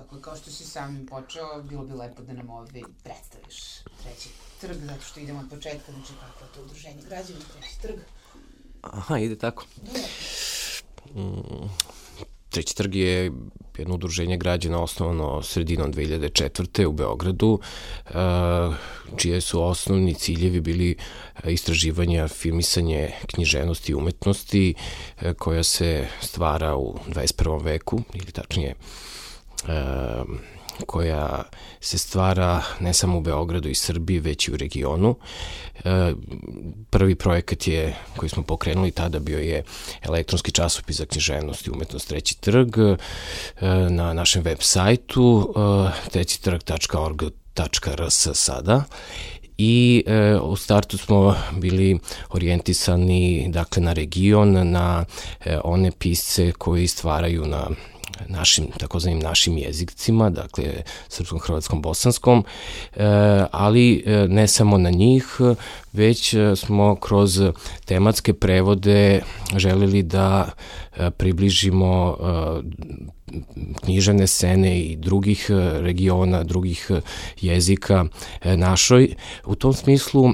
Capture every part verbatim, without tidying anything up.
Tako je, kao što si sam počeo, bilo bi lepo da nam ovdje predstaviš Treći trg, zato što idemo od početka, znači kako je to udruženje građana, Treći trg. Aha, ide tako. Mm, Treći trg je jedno udruženje građana osnovano sredinom dve hiljade četvrte. u Beogradu, čije su osnovni ciljevi bili istraživanja, filmisanje književnosti i umetnosti koja se stvara u dvadeset prvom veku, ili tačnije koja se stvara ne samo u Beogradu i Srbiji, već i u regionu. Prvi projekat je, koji smo pokrenuli tada, bio je elektronski časopis za književnost i umetnost Treći trg na našem web sajtu treći trg tačka org tačka r s sada. I e, u startu smo bili orijentisani, dakle, na region, na e, one pisce koji stvaraju na našim, takozvanim našim jezicima, dakle srpskom, hrvatskom, bosanskom, e, ali e, ne samo na njih, već smo kroz tematske prevode želeli da e, približimo e, književne scene i drugih regiona, drugih jezika e, našoj. U tom smislu e,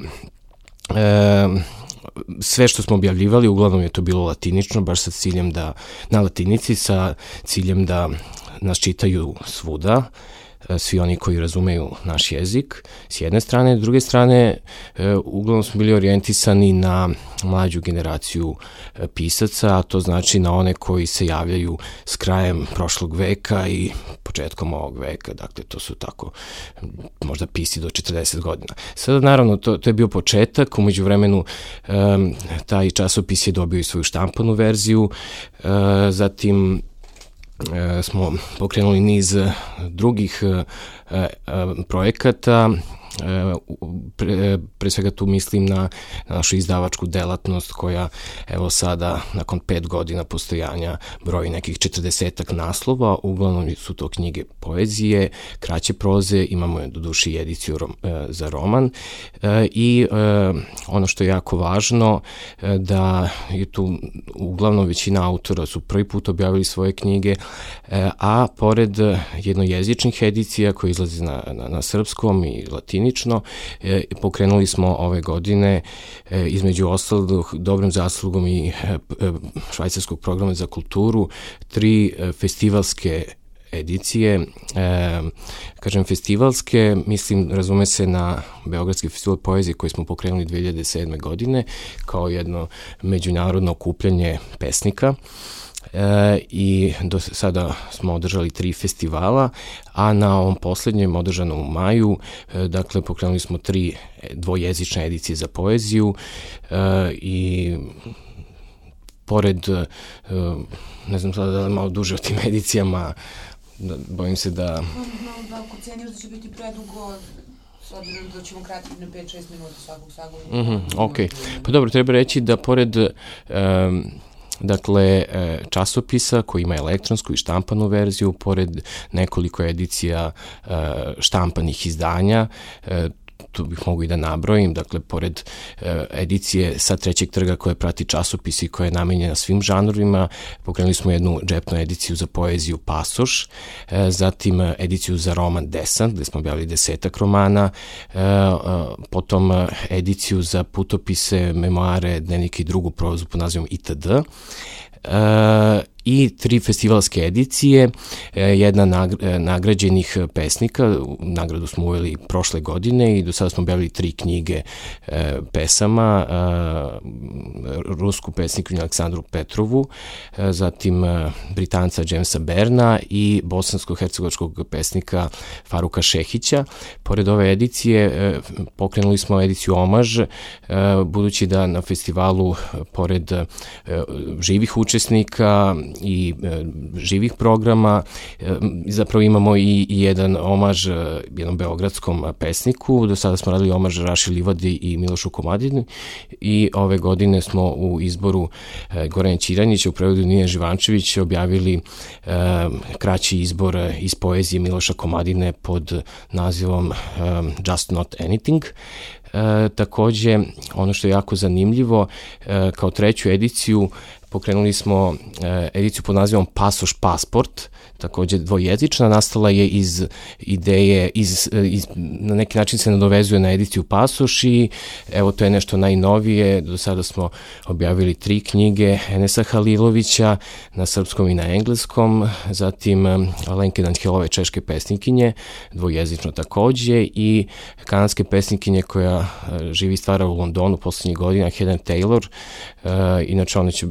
sve što smo objavljivali, uglavnom je to bilo latinično, baš sa ciljem da, na latinici, sa ciljem da nas čitaju svuda, svi oni koji razumeju naš jezik, s jedne strane. S druge strane, uglavnom smo bili orijentisani na mlađu generaciju pisaca, a to znači na one koji se javljaju s krajem prošlog veka i početkom ovog veka, dakle to su tako možda pisci do četrdeset godina. Sada naravno to, to je bio početak, umeđu vremenu um, taj časopis je dobio i svoju štampanu verziju, uh, zatim E, smo pokrenuli niz drugih e, e, projekata, e, pre, pre svega tu mislim na, na našu izdavačku delatnost koja evo sada nakon pet godina postojanja broji nekih četrdesetak naslova, uglavnom su to knjige poezije, kraće proze, imamo do duše i ediciju rom, e, za roman e, i e, ono što je jako važno e, da je tu uglavnom većina autora su prvi put objavili svoje knjige, e, a pored jednojezičnih edicija koje izlaze na, na, na srpskom i latinično, e, pokrenuli smo ove godine e, između ostalog dobrom zaslugom i e, švajcarskog programa za kulturu tri e, festivalske edicije, e, kažem festivalske, mislim, razume se na Beogradski festival poezije koji smo pokrenuli dve hiljade sedme. godine kao jedno međunarodno okupljanje pesnika. E, i do sada smo održali tri festivala, a na ovom poslednjem održanom u maju, e, dakle pokrenuli smo tri dvojezične edicije za poeziju e, i pored, e, ne znam sada da li malo duže o tim edicijama, da, bojim se da... Da, ako ceniš da će biti predugo, s obzirom da ćemo kratiti na pet šest minuta svakog sagovora. Mm-hmm, ok, pa dobro, treba reći da pored... Um, Dakle, časopisa koji ima elektronsku i štampanu verziju, pored nekoliko edicija štampanih izdanja, tu bih mogu i da nabrojim, dakle, pored edicije sa Trećeg trga koja prati časopis i koja je namenjena svim žanrovima, pokrenuli smo jednu džepnu ediciju za poeziju Pasoš, zatim ediciju za roman Desant, gde smo objavili desetak romana, potom ediciju za putopise, memoare, dnevnike i drugu prozu pod nazivom itd., i tri festivalske edicije, jedna nagrađenih pesnika, nagradu smo uveli prošle godine i do sada smo objavili tri knjige pesama, rusku pesnikinju Aleksandru Petrovu, zatim Britanca Jamesa Berna i bosansko-hercegovačkog pesnika Faruka Šehića. Pored ove edicije pokrenuli smo ediciju Omaž, budući da na festivalu pored živih učesnika i e, živih programa, e, zapravo imamo i, i jedan omaž e, jednom beogradskom pesniku. Do sada smo radili omaž Raši Livadi i Milošu Komadini i ove godine smo u izboru e, Gorana Ćiranića, u prevodu Nine Živančević, objavili e, kraći izbor iz poezije Miloša Komadine pod nazivom e, Just Not Anything. E, takođe, ono što je jako zanimljivo, e, kao treću ediciju pokrenuli smo ediciju pod nazivom Pasoš Pasport, takođe dvojezična, nastala je iz ideje, iz, iz, na neki način se nadovezuje na ediciju Pasoš i evo to je nešto najnovije. Do sada smo objavili tri knjige Enesa Halilovića na srpskom i na engleskom, zatim Alenke Danhilove, češke pesnikinje, dvojezično takođe, i kanadske pesnikinje koja živi i stvara u Londonu poslednjih godina, Helen Taylor. E, inače ona će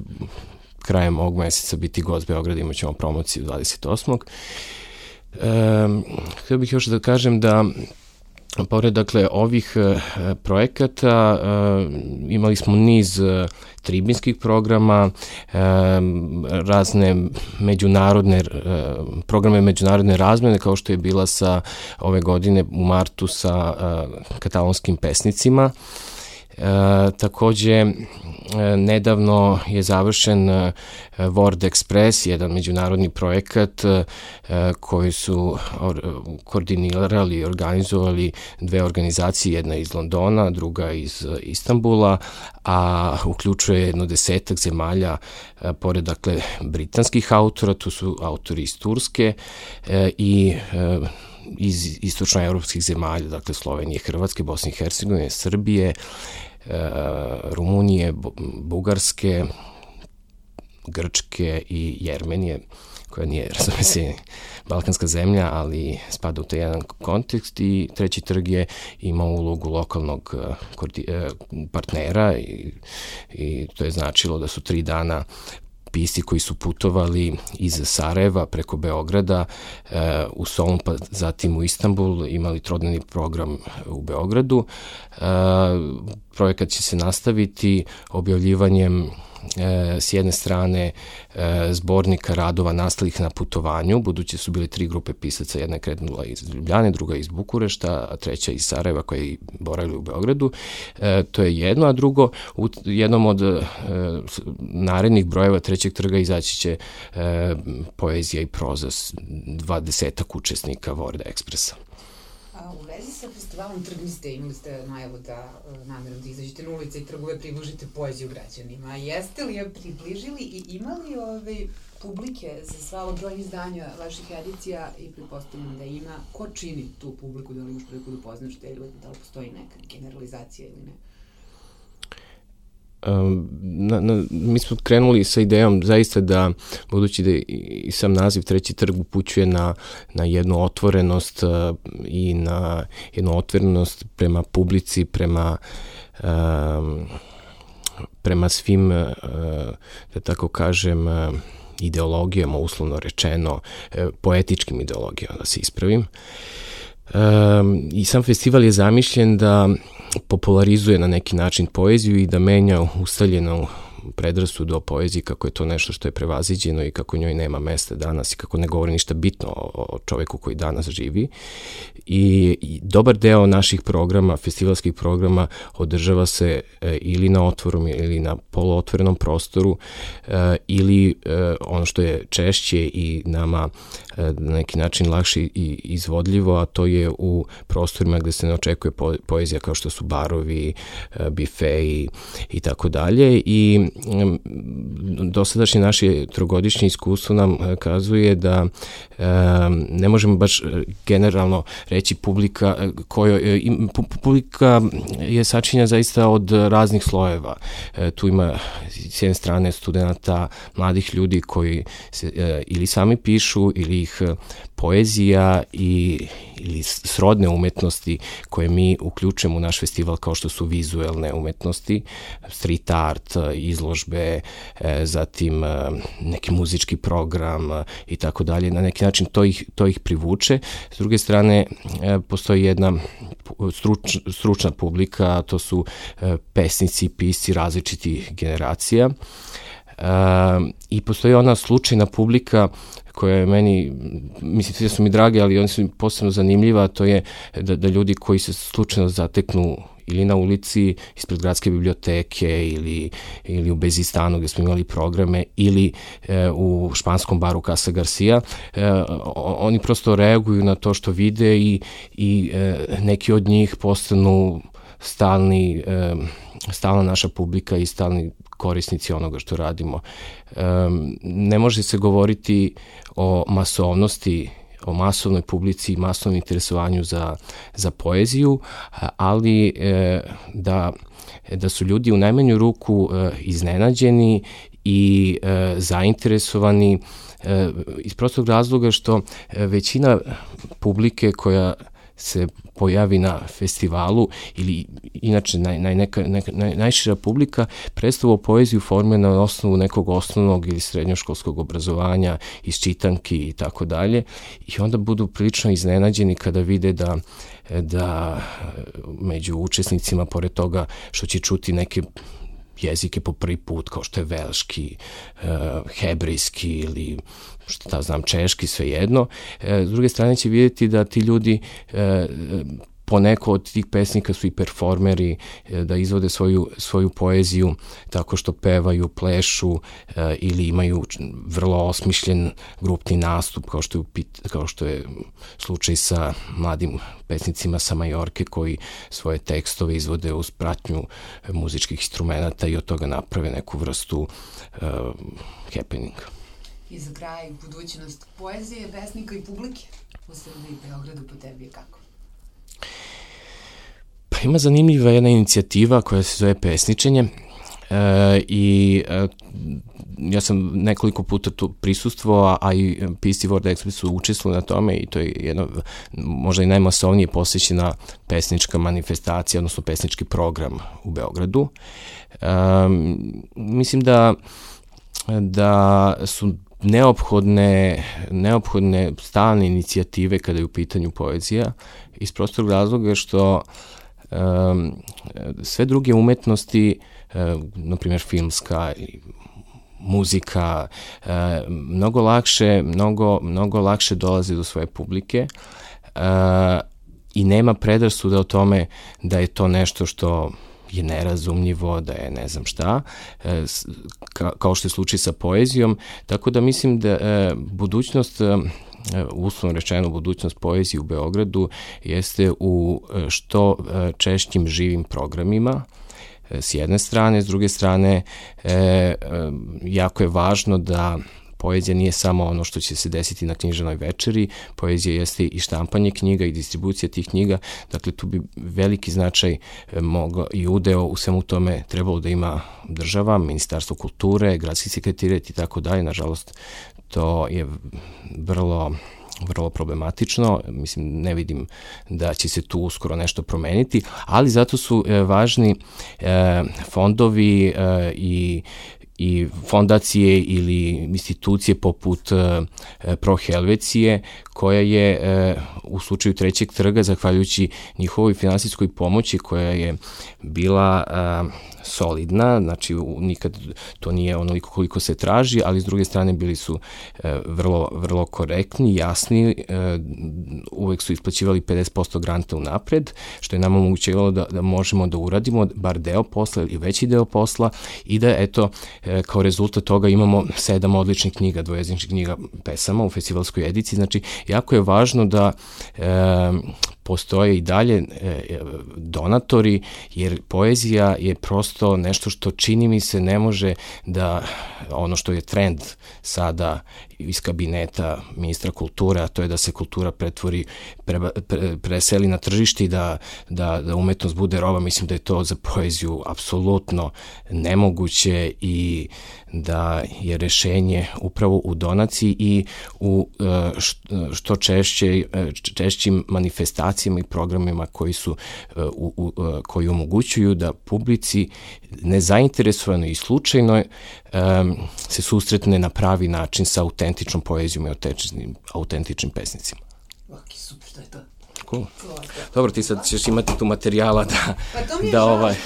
krajem ovog meseca biti gost Beograda, imat ćemo promociju dvadeset osmog E, htio bih još da kažem da pored dakle ovih e, projekata e, imali smo niz e, tribinskih programa, e, razne međunarodne e, programe međunarodne razmene, kao što je bila sa ove godine u martu sa e, katalonskim pesnicima. E, takođe, e, nedavno je završen e, World Express, jedan međunarodni projekat e, koji su or, koordinirali i organizovali dve organizacije, jedna iz Londona, druga iz Istanbula, a uključuje jedno desetak zemalja, e, pored dakle britanskih autora, tu su autori iz Turske e, i e, iz istočnoevropskih zemalja, dakle Slovenije, Hrvatske, Bosne i Hercegovine, Srbije, Rumunije, Bugarske, Grčke i Jermenije, koja nije, razume se, balkanska zemlja, ali spada u taj jedan kontekst. I treći trg je imao ulogu lokalnog partnera i, i to je značilo da su tri dana pisci koji su putovali iz Sarajeva preko Beograda e, u Solun, pa zatim u Istanbul, imali trodnevni program u Beogradu. E, projekat će se nastaviti objavljivanjem E, s jedne strane e, zbornika radova nastalih na putovanju, budući su bili tri grupe pisaca, jedna je krenula iz Ljubljane, druga iz Bukurešta, a treća iz Sarajeva koja je boravila u Beogradu. E, to je jedno, a drugo, u jednom od e, narednih brojeva trećeg trga izaći će e, poezija i proza dvadesetak učesnika World Expressa. U vezi sa festivalom Trgniste imali ste najavu da namjerom da izađete na ulice i trgove približite poeziju građanima. Jeste li je približili i imali ove publike za sva ova broj izdanja vaših edicija i pretpostavljam da ima? Ko čini tu publiku, da li imaš priliku da poznaš te ljudi, da li postoji neka generalizacija ili ne? Na, na, mi smo krenuli sa idejom zaista da, budući da i sam naziv Treći trg upućuje na, na jednu otvorenost uh, i na jednu otvorenost prema publici, prema um, prema svim, uh, da tako kažem, uh, ideologijama, uslovno rečeno, uh, poetičkim ideologijama, da se ispravim. Um, I sam festival je zamišljen da popularizuje na neki način poeziju i da menja ustaljenu predrasudu o poeziji, kako je to nešto što je prevaziđeno i kako njoj nema mesta danas i kako ne govori ništa bitno o čoveku koji danas živi. I, i dobar deo naših programa, festivalskih programa, održava se e, ili na otvorom ili na poluotvorenom prostoru e, ili e, ono što je češće i nama e, na neki način lakše i izvodljivo, a to je u prostorima gde se ne očekuje po, poezija, kao što su barovi, e, bifeji i tako dalje. I dosadašnje naše trogodišnje iskustvo nam kazuje da e, ne možemo baš generalno reći publika koja publika je sačinjena zaista od raznih slojeva. E, tu ima s jedne strane studenta, mladih ljudi koji se, e, ili sami pišu ili ih poezija i ili srodne umetnosti koje mi uključujemo u naš festival, kao što su vizuelne umetnosti, street art, izložbe, zatim neki muzički program i tako dalje. Na neki način to ih, to ih privuče. S druge strane, postoji jedna struč, stručna publika, to su pesnici, pisci različitih generacija. I postoji ona slučajna publika koja je meni, mislim, sve su mi drage, ali oni su posebno zanimljiva, to je da, da ljudi koji se slučajno zateknu ili na ulici ispred gradske biblioteke ili, ili u Bezistanu gde smo imali programe ili e, u španskom baru Casa Garcia, e, oni prosto reaguju na to što vide i, i e, neki od njih postanu stalni, e, stalna naša publika i stalni korisnici onoga što radimo. Ne može se govoriti o masovnosti, o masovnoj publici i masovnom interesovanju za, za poeziju, ali da, da su ljudi u najmanju ruku iznenađeni i zainteresovani iz prostog razloga što većina publike koja se pojavi na festivalu ili inače naj, naj, neka, neka, naj, najšira publika predstavu poeziju formira na osnovu nekog osnovnog ili srednjoškolskog obrazovanja, iz čitanki i tako dalje, i onda budu prilično iznenađeni kada vide da, da među učesnicima, pored toga što će čuti neke jezike po prvi put, kao što je velški, hebrejski ili šta znam, češki, svejedno. S druge strane će vidjeti da ti ljudi, poneko od tih pesnika su i performeri, da izvode svoju, svoju poeziju tako što pevaju, plešu ili imaju vrlo osmišljen grupni nastup, kao što je, kao što je slučaj sa mladim pesnicima sa Majorke koji svoje tekstove izvode uz pratnju muzičkih instrumenta i od toga naprave neku vrstu uh, happeninga. I za kraj, budućnost poezije, pesnika i publike u Srbiji i Beogradu po tebi je kako? Pa ima zanimljiva jedna inicijativa koja se zove Pesničenje e, i e, ja sam nekoliko puta tu prisustvovao, a i P C World Express su učestvovali na tome i to je jedna možda i najmasovnije posvećena pesnička manifestacija, odnosno pesnički program u Beogradu. E, mislim da da su neophodne, neophodne stalne inicijative kada je u pitanju poezija, iz prostog razloga što um, sve druge umetnosti, um, na primjer filmska i muzika, um, mnogo lakše, mnogo, mnogo lakše dolaze do svoje publike uh, i nema predrasuda o tome da je to nešto što je nerazumljivo, da je ne znam šta, ka, kao što je slučaj sa poezijom, tako da mislim da e, budućnost, e, uslovno rečeno budućnost poezije u Beogradu jeste u što češćim živim programima, s jedne strane, s druge strane e, e, jako je važno da poezija nije samo ono što će se desiti na književnoj večeri, poezija jeste i štampanje knjiga i distribucija tih knjiga, dakle tu bi veliki značaj mogao i udeo u svemu tome trebalo da ima država, Ministarstvo kulture, gradski sekretarijat i tako dalje. Nažalost, to je vrlo vrlo problematično, mislim ne vidim da će se tu uskoro nešto promeniti, ali zato su e, važni e, fondovi e, i i fondacije ili institucije poput uh, Pro Helvecije, koja je uh, u slučaju Trećeg trga, zahvaljujući njihovoj finansijskoj pomoći koja je bila uh, solidna, znači nikad to nije onoliko koliko se traži, ali s druge strane bili su uh, vrlo, vrlo korektni, jasni, uh, uvek su isplaćivali pedeset posto granta unapred, što je nam omogućavalo da, da možemo da uradimo bar deo posla ili veći deo posla i da eto kao rezultat toga imamo sedam odličnih knjiga, dvojezičnih knjiga pesama u festivalskoj ediciji. Znači, jako je važno da e, postoje i dalje e, donatori, jer poezija je prosto nešto što čini mi se ne može da, ono što je trend sada iz kabineta ministra kulture, a to je da se kultura pretvori, pre, pre, preseli na tržište i da, da, da umetnost bude roba. Mislim da je to za poeziju apsolutno nemoguće i da je rešenje upravo u donaciji i u što češće, češćim manifestacijama i programima koji su u, u, koji omogućuju da publici nezainteresovano i slučajno um, se susretne na pravi način sa autentičnom poezijom i autentičnim, autentičnim pesnicima. Ok, super, to je to. Cool. Dobro, ti sad ćeš imati tu materijala da, pa da ovaj...